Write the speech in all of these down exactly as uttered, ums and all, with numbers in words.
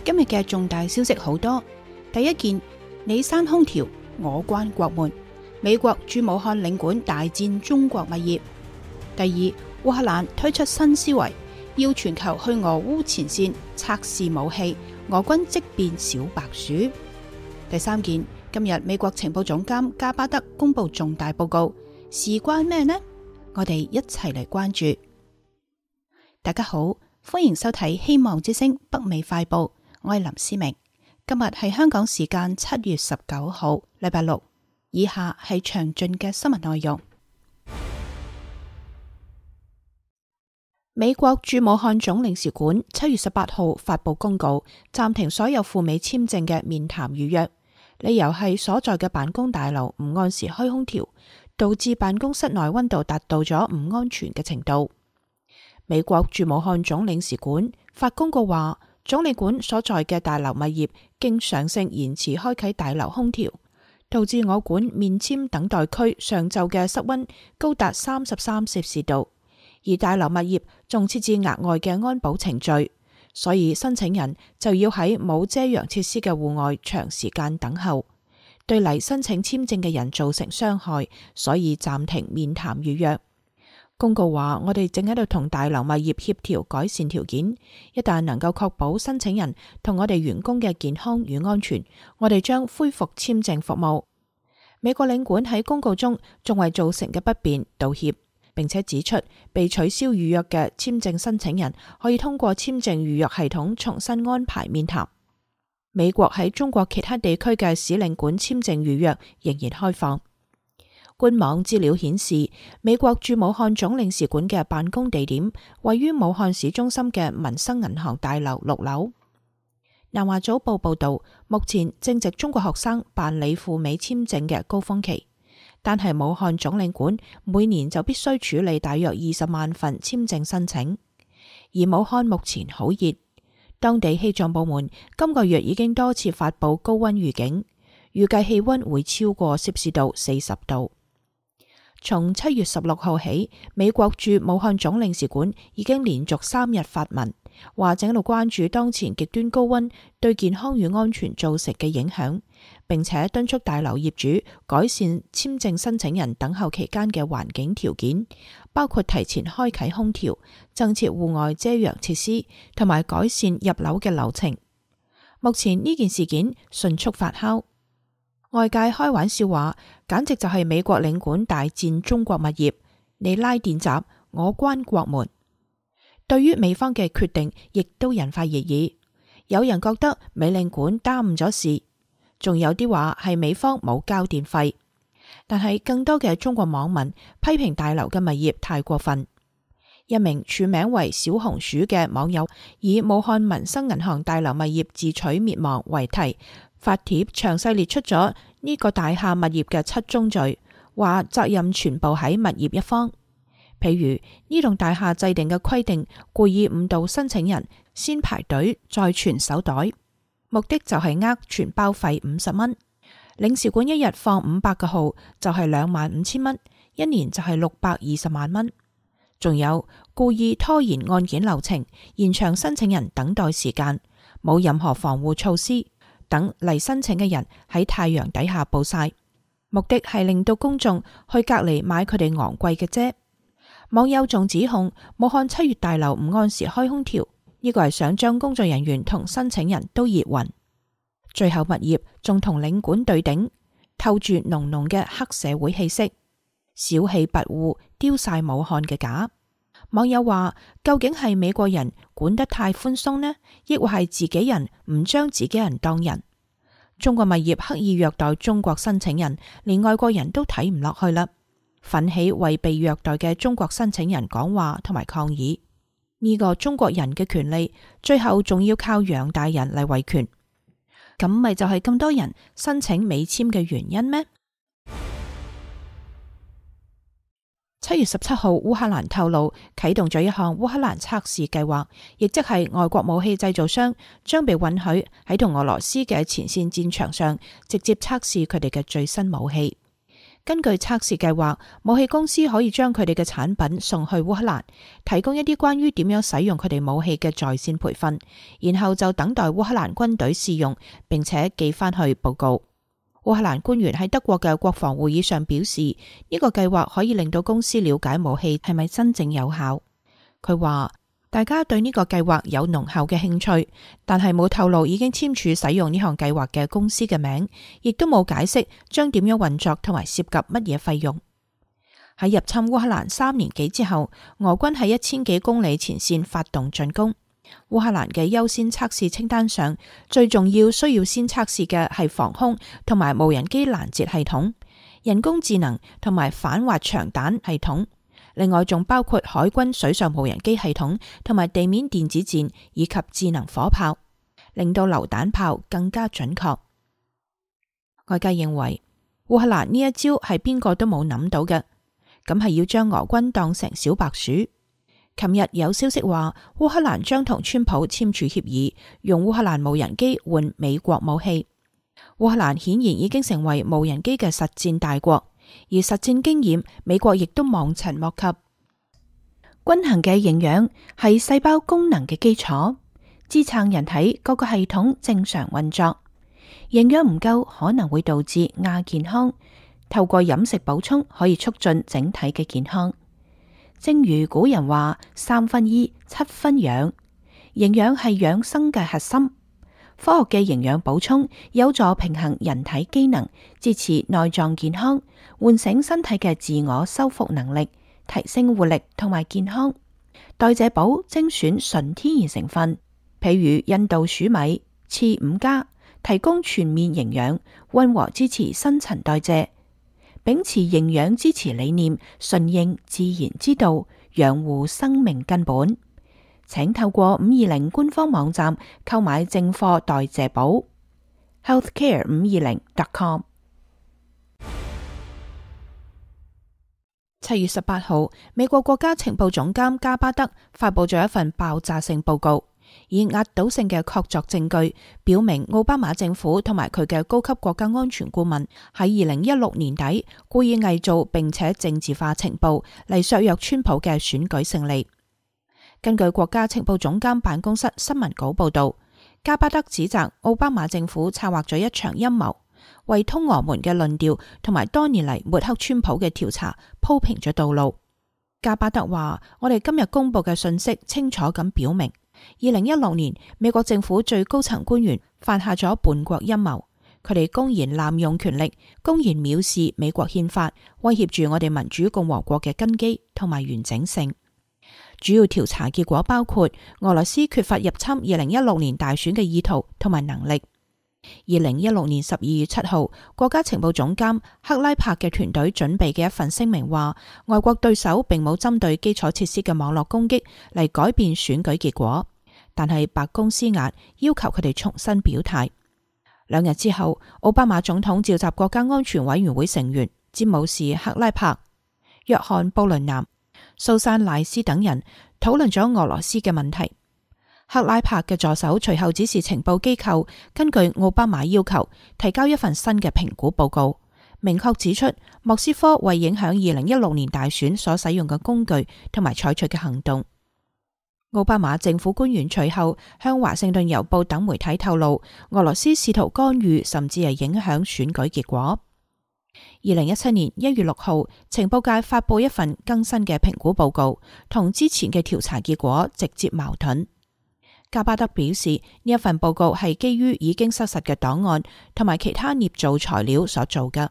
今日嘅重大消息好多。第一件，你閂空調，我關國門。美國駐武漢領館大戰中國物業。第二，烏克蘭推出新思維，要全球去俄烏前線測試武器，俄軍即變小白鼠。第三件，今日美國情報總監加巴德公布重大報告，事關咩呢？我哋一齊嚟關注。大家好，歡迎收睇希望之聲北美快報，我係林思明。今日係香港時間七月十九號，禮拜六。以下係詳盡嘅新聞內容。美國駐武漢總領事館七月十八號發布公告，暫停所有赴美簽證嘅面談預約，理由係所在嘅辦公大樓唔按時開空調，導致辦公室內溫度達到咗唔安全嘅程度。美國駐武漢總領事館發公告話，總領館所在嘅大樓物業經常性延遲開啟大樓空調，導致我館面簽等待區上晝嘅室溫高達三十三攝氏度，而大樓物業仲設置額外嘅安保程序，所以申請人就要喺冇遮陽設施嘅戶外長時間等候，對嚟申請簽證嘅人造成傷害，所以暫停面談預約。公告話，我哋正喺度同大樓物業協調改善條件，一旦能夠確保申請人同我哋員工嘅健康與安全，我哋將恢復簽證服務。美國領館喺公告中仲為造成嘅不便道歉，並且指出被取消預約嘅簽證申請人可以通過簽證預約系統重新安排面談。美國喺中國其他地區嘅使領館簽證預約仍然開放。官網資料顯示，美國駐武漢總領事館嘅辦公地點位於武漢市中心嘅民生銀行大樓六樓。南華早報報道，目前正值中國學生辦理赴美簽證嘅高峰期，但係武漢總領館每年就必須處理大約二十萬份簽證申請。而武漢目前好熱，當地氣象部門今個月已經多次發佈高溫預警，預計氣溫會超過攝氏度四十度。從七月十六號起，美國駐武漢總領事館已經連續三日發文，話正喺度關注當前極端高溫對健康與安全造成嘅影響，並且敦促大樓業主改善簽證申請人等候期間嘅環境條件，包括提前開啟空調、增設戶外遮陽設施，同埋改善入樓嘅流程。目前呢件事件迅速發酵。外界開玩笑話，簡直就係美國領館大戰中國物業，你拉電閘，我關國門。對於美方嘅決定，亦都引發熱議。有人覺得美領館耽誤咗事，仲有啲話係美方冇交電費。但係更多嘅中國網民批評大樓嘅物業太過分。一名署名為小紅薯嘅網友以武漢民生銀行大樓物業自取滅亡為題，發帖詳細列出咗呢個大廈物業嘅七宗罪，話責任全部喺物業一方。譬如呢棟大廈制定嘅規定，故意誤導申請人先排隊再傳手袋，目的就係呃傳包費五十蚊。領事館一日放五百個號就係兩萬五千蚊，一年就係六百二十萬蚊。仲有故意拖延案件流程，延長申請人等待時間，冇任何防護措施，等嚟申請嘅人喺太陽底下暴曬，目的係令到公眾去隔離買佢哋昂貴嘅遮。網友仲指控武漢七月大樓唔按時開空調，呢個係想將工作人員同申請人都熱暈。最後物業仲同領館對頂，透住濃濃嘅黑社會氣息，小氣跋扈，丟晒武漢嘅架。網友話，究竟係美國人管得太寬鬆呢，抑或係自己人唔將自己人當人？中國物業刻意虐待中國申請人，連外國人都睇唔落去啦，奮起為被虐待嘅中國申請人講話同埋抗議。呢個中國人嘅權利，最後仲要靠楊大人嚟維權，咁咪就係咁多人申請美簽嘅原因咩？七月十七號，烏克蘭透露啟動咗一項烏克蘭測試計劃，亦即係外國武器製造商將被允許喺同俄羅斯嘅前線戰場上直接測試佢哋嘅最新武器。根據測試計劃，武器公司可以將佢哋嘅產品送去烏克蘭，提供一啲關於點樣使用佢哋武器嘅在線培訓，然後就等待烏克蘭軍隊試用，並且寄翻去報告。烏克蘭官員喺德國嘅國防會議上表示，呢個計劃可以令到公司了解武器係咪真正有效。佢話大家對呢個計劃有濃厚嘅興趣，但係冇透露已經簽署使用呢項計劃嘅公司嘅名，亦都冇解釋將點樣運作同埋涉及乜嘢費用。喺入侵烏克蘭三年幾之後，俄軍喺一千幾公里前線發動進攻。烏克蘭嘅優先測試清單上，最重要需要先測試嘅係防空同埋無人機攔截系統、人工智能同埋反滑翔彈系統，另外仲包括海軍水上無人機系統同埋地面電子戰以及智能火炮，令到榴彈炮更加準確。外界認為烏克蘭呢一招係邊個都冇諗到嘅，咁係要將俄軍當成小白鼠。琴日有消息話，烏克蘭將同川普簽署協議，用烏克蘭無人機換美國武器。烏克蘭顯然已經成為無人機嘅實戰大國，而實戰經驗美國亦都望塵莫及。均衡嘅營養係細胞功能嘅基礎，支撐人體各個系統正常運作。營養唔夠可能會導致亞健康，透過飲食補充可以促進整體嘅健康。正如古人話，三分醫，七分養，營養係養生嘅核心。科學嘅營養補充有助平衡人體機能，支持內臟健康，喚醒身體嘅自我修復能力，提升活力同埋健康。代謝寶精選純天然成分，譬如印度黍米、次五加，提供全面營養，溫和支持新陳代謝。秉持營養支持理念，順應自然之道，養護生命根本。請透過五二零官方網站購買正貨代謝寶 healthcare 五二零 dot com。七月十八號，美國國家情報總監加巴德發佈咗一份爆炸性報告，以壓倒性嘅確鑿證據，表明奧巴馬政府同埋佢嘅高級國家安全顧問喺二零一六年底故意偽造並且政治化情報嚟削弱川普嘅選舉勝利。根據國家情報總監辦公室新聞稿報道，加巴德指責奧巴馬政府策劃咗一場陰謀，為通俄門嘅論調同埋多年嚟抹黑川普嘅調查鋪平咗道路。加巴德話：我哋今日公布嘅信息清楚咁表明，二零一六年美國政府最高層官員犯下咗叛國陰謀，佢哋公然濫用權力，公然藐視美國憲法，威脅住我哋民主共和國嘅根基同埋完整性。主要調查結果包括俄羅斯缺乏入侵二零一六年大選嘅意圖同埋能力。二零一六年十二月七號，國家情報總監克拉柏嘅團隊準備嘅一份聲明話，外國對手並冇針對基礎設施嘅網絡攻擊嚟改變選舉結果，但係白宮施壓要求佢哋重新表態。兩日之後，奧巴馬總統召集國家安全委員會成員詹姆士克拉柏、約翰布倫南、蘇珊賴斯等人討論咗俄羅斯嘅問題。克拉柏嘅助手隨後指示情報機構根據奧巴馬要求提交一份新嘅評估報告，明確指出莫斯科為影響二零一六年大選所使用嘅工具同埋採取嘅行動。奧巴馬政府官員隨後向華盛頓郵報等媒體透露，俄羅斯試圖干預甚至係影響選舉結果。二零一七年一月六號，情報界發佈一份更新嘅評估報告，同之前嘅調查結果直接矛盾。加巴德表示，呢一份報告係基於已經失實嘅檔案同埋其他捏造材料所做嘅。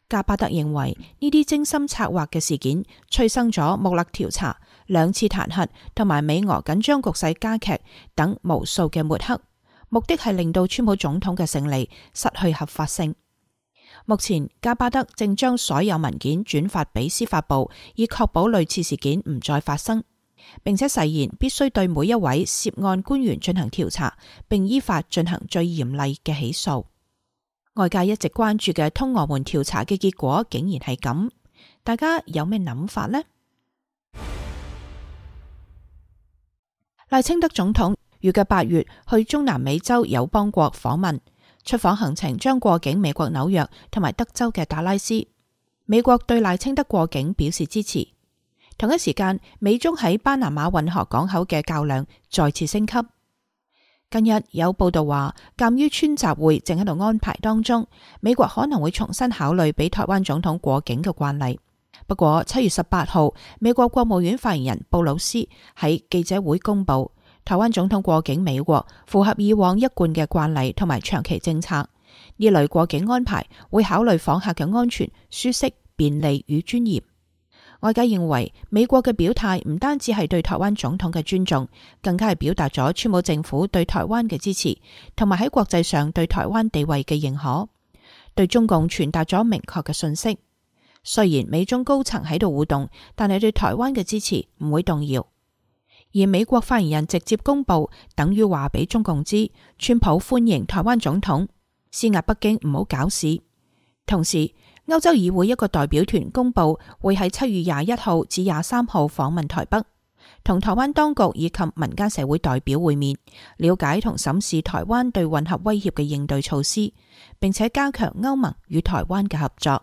加巴德認為呢啲精心策劃嘅事件催生咗穆勒調查、兩次彈劾同埋美俄緊張局勢加劇等無數嘅抹黑，目的係令到川普總統嘅勝利失去合法性。目前加巴德正將所有文件轉發俾司法部，以確保類似事件唔再發生，並且誓言必須對每一位涉案官員進行調查，並依法進行最嚴厲嘅起訴。外界一直關注嘅通俄門調查嘅結果竟然係咁，大家有咩諗法呢？賴清德總統預計八月去中南美洲友邦國訪問，出訪行程將過境美國紐約同埋德州嘅達拉斯。美國對賴清德過境表示支持。同一時間，美中喺巴拿馬運河港口嘅較量再次升級。近日有報道話，鑒於川習會正喺度安排當中，美國可能會重新考慮俾台灣總統過境嘅慣例。不過七月十八號，美國國務院發言人布魯斯喺記者會公布，台灣總統過境美國符合以往一貫嘅慣例同埋長期政策。呢類過境安排會考慮訪客嘅安全、舒適、便利與尊嚴。外界認為美國嘅表態唔單止係對台灣總統嘅尊重，更加係表達咗川普政府對台灣嘅支持，同埋喺國際上對台灣地位嘅認可，對中共傳達咗明確嘅訊息。雖然美中高層喺度互動，但係對台灣嘅支持唔會動搖。而美國發言人直接公布，等於話俾中共知，川普歡迎台灣總統，施壓北京唔好搞事。同時，歐洲議會一個代表團公布會喺七月廿一號至廿三號訪問台北，同台灣當局以及民間社會代表會面，了解同審視台灣對混合威脅嘅應對措施，並且加強歐盟與台灣嘅合作。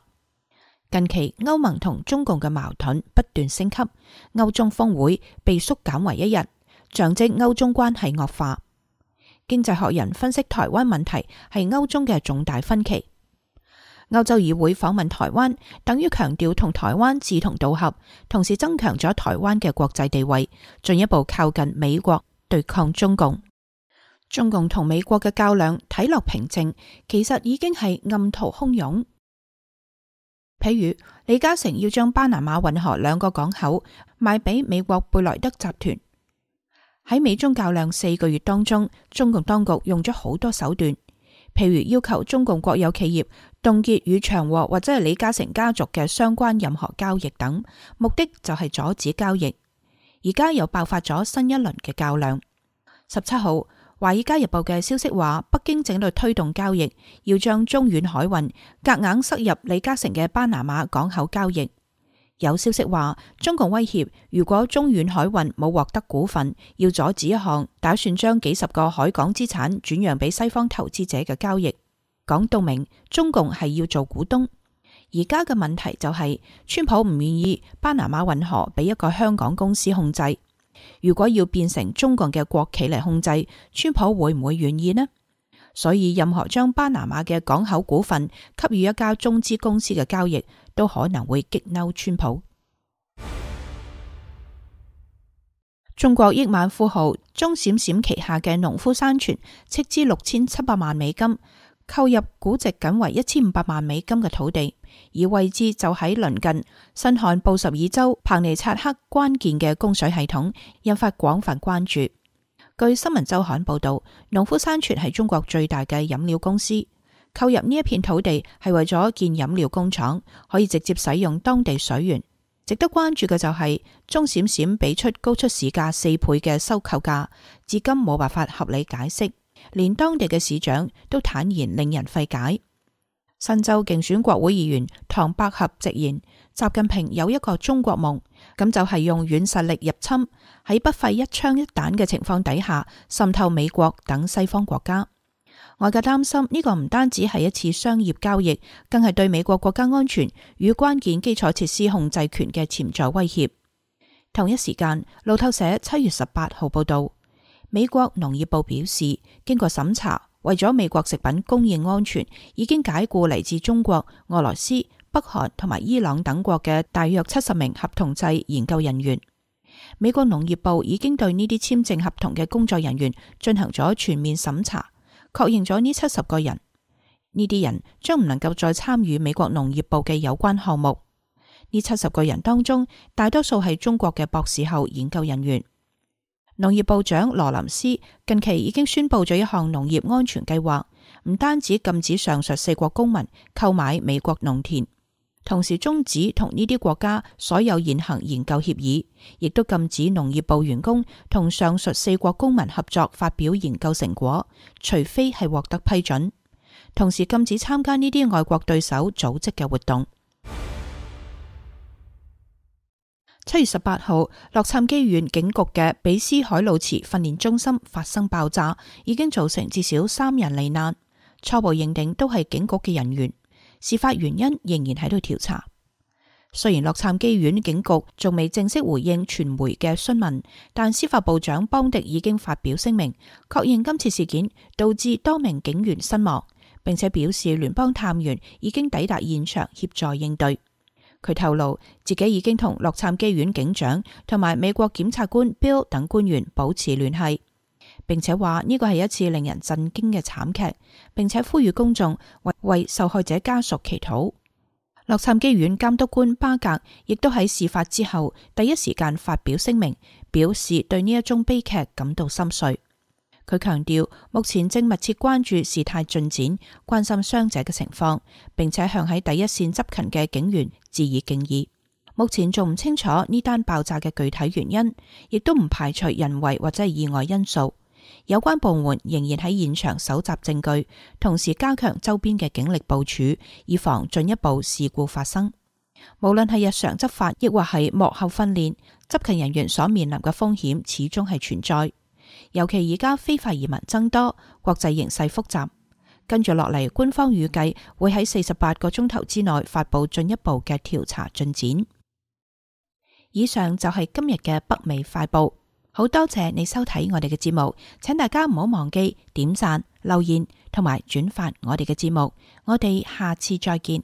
近期歐盟同中共嘅矛盾不斷升級，歐中峰會被縮減為一日，象徵歐中關係惡化。經濟學人分析台灣問題係歐中嘅重大分歧。歐洲議會訪問台灣，等於強調同台灣志同道合，同時增強咗台灣嘅國際地位，進一步靠近美國對抗中共。中共同美國嘅較量睇落平靜，其實已經係暗途洶湧。譬如李嘉誠要將巴拿馬運河兩個港口賣俾美國貝萊德集團。喺美中較量四個月當中，中共當局用咗好多手段，譬如要求中共國有企業凍結與長和或者係李嘉誠家族嘅相關任何交易等，目的就係阻止交易。而家又爆發咗新一輪嘅較量。十七號，華爾街日報嘅消息話，北京正喺度推動交易，要將中遠海運夾硬塞入李嘉誠嘅巴拿馬港口交易。有消息話，中共威脅，如果中遠海運冇獲得股份，要阻止一項打算將幾十個海港資產轉讓俾西方投資者嘅交易。講到明，中共係要做股東。而家嘅問題就係，川普唔願意巴拿馬運河俾一個香港公司控制。如果要變成中共嘅國企嚟控制，川普會唔會願意呢？所以任何將巴拿馬嘅港口股份給予一家中資公司嘅交易，都可能會激嬲川普。中國億萬富豪鐘閃閃旗下嘅農夫山泉斥資六千七百萬美金，購入估值僅為一千五百萬美金嘅土地，而位置就喺鄰近新罕布什爾州彭尼察克關鍵嘅供水系統，引發廣泛關注。據新聞週刊報道，農夫山泉係中國最大嘅飲料公司，購入呢一片土地係為咗建飲料工廠，可以直接使用當地水源。值得關注嘅就係鐘閃閃俾出高出市價四倍嘅收購價，至今冇辦法合理解釋，連當地嘅市長都坦言令人費解。新州競選國會議員唐百合直言，習近平有一個中國夢，咁就係用軟實力入侵，喺不費一槍一彈嘅情況底下滲透美國等西方國家。外界擔心呢個唔單止係一次商業交易，更係對美國國家安全與關鍵基礎設施控制權嘅潛在威脅。同一時間，路透社七月十八號報道，美國農業部表示，經過審查，為咗美國食品供應安全，已經解雇嚟自中國、俄羅斯、北韓同埋伊朗等國嘅大約七十名合同制研究人員。美國農業部已經對呢啲簽證合同嘅工作人員進行咗全面審查，確認咗呢七十個人。呢啲人將唔能夠再參與美國農業部嘅有關項目。呢七十個人當中，大多數係中國嘅博士後研究人員。農業部長羅林斯近期已經宣布咗一項農業安全計劃，唔單止禁止上述四國公民購買美國農田，同時終止同呢啲國家所有現行研究協議，亦都禁止農業部員工同上述四國公民合作發表研究成果，除非係獲得批准，同時禁止參加呢啲外國對手組織嘅活動。七月十八號，洛杉磯縣警局嘅比斯海路池訓練中心發生爆炸，已經造成至少三人罹難，初步認定都係警局嘅人員，事發原因仍然喺度調查。雖然洛杉磯縣警局仲未正式回應傳媒嘅詢問，但司法部長邦迪已經發表聲明，確認今次事件導致多名警員身亡，並且表示聯邦探員已經抵達現場協助應對。佢透露自己已經同洛杉磯縣警長同埋美國檢察官 Bill 等官員保持聯繫，並且話呢個係一次令人震驚嘅慘劇，並且呼籲公眾為為受害者家屬祈禱。洛杉磯縣監督官巴格亦都喺事發之後第一時間發表聲明，表示對呢一宗悲劇感到心碎。佢強調目前正密切關注事態進展，關心傷者嘅情況，並且向喺第一線執勤嘅警員致以敬意。目前仲唔清楚呢單爆炸嘅具體原因，亦都唔排除人為或者係意外因素。有關部門仍然喺現場搜集證據，同時加強周邊嘅警力部署，以防進一步事故發生。無論係日常執法，亦或係幕後訓練，執勤人員所面臨嘅風險始終係存在。尤其而家非法移民增多，國際形勢複雜。跟住落嚟，官方預計會喺四十八個鐘頭之內發佈進一步嘅調查進展。以上就係今日嘅北美快報。好多謝你收睇我哋嘅節目，請大家唔好忘記點讚、留言同埋轉發我哋嘅節目。我哋下次再見。